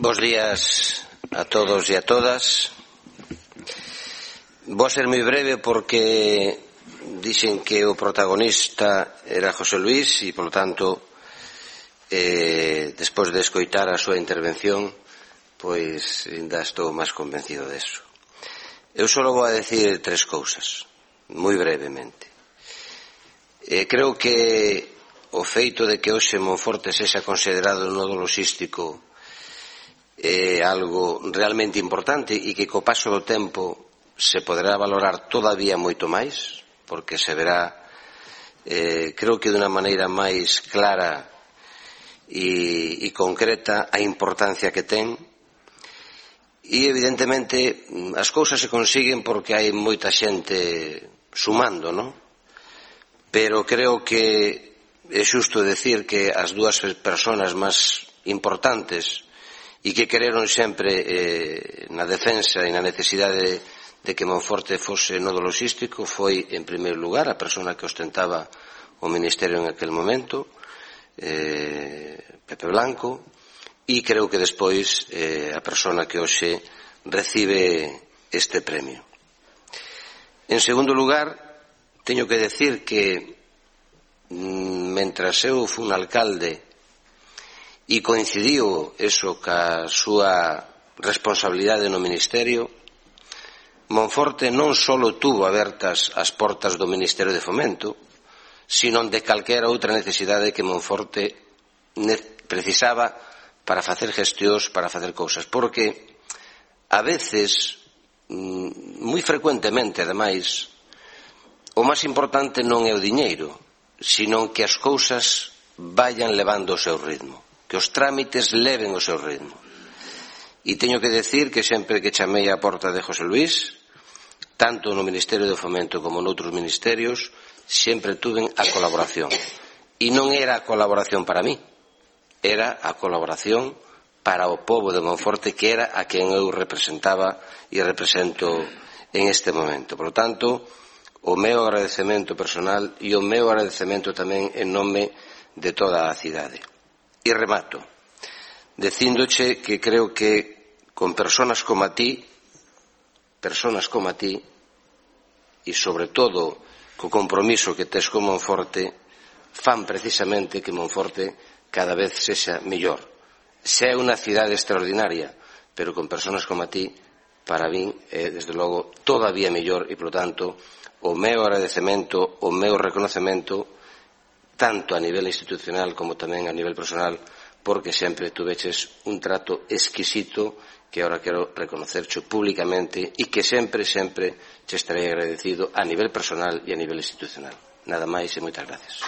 Bos días a todos e a todas. Vou ser moi breve porque dixen que o protagonista era José Luís e, polo tanto, despois de escoitar a súa intervención, pois ainda estou máis convencido deso. Eu só vou a decir tres cousas, moi brevemente. Creo que o feito de que hoxe Monforte sexa considerado un nodo logístico é algo realmente importante e que co paso do tempo se poderá valorar todavía moito máis, porque se verá, creo que de unha maneira máis clara e concreta a importancia que ten. E evidentemente as cousas se consiguen porque hai moita xente sumando, non? Pero creo que é xusto decir que as dúas persoas máis importantes e que quereron sempre na defensa e na necesidade de que Monforte fose nodo logístico foi, en primeiro lugar, a persona que ostentaba o Ministerio en aquel momento, Pepe Blanco, e creo que despois a persona que hoxe recibe este premio. En segundo lugar, teño que decir que mentras eu fui un alcalde e coincidiu eso ca súa responsabilidade no Ministerio, Monforte non só tuvo abertas as portas do Ministerio de Fomento, sino de calquera outra necesidade que Monforte precisaba para facer gestións, para facer cousas. Porque a veces, moi frecuentemente, ademais, o máis importante non é o diñeiro, sino que as cousas vayan levando o seu ritmo, que os trámites leven o seu ritmo. E teño que decir que sempre que chamei á porta de José Luís, tanto no Ministerio de Fomento como noutros ministerios, sempre tuven a colaboración. E non era a colaboración para mí, era a colaboración para o pobo de Monforte, que era a quen eu representaba e represento en este momento. Por lo tanto, o meu agradecemento personal e o meu agradecemento tamén en nome de toda a cidade. E remato, dicíndoche que creo que con persoas como a ti, e sobre todo co compromiso que tes con Monforte, fan precisamente que Monforte cada vez sexa mellor. Se é unha cidade extraordinaria, pero con persoas como a ti, para min é, desde logo, todavía mellor e, por tanto, o meu agradecemento, o meu reconocemento, tanto a nivel institucional como tamén a nivel personal, porque sempre tuveches un trato exquisito que ahora quero reconocercho públicamente e que sempre che estarei agradecido a nivel personal e a nivel institucional. Nada máis e moitas gracias.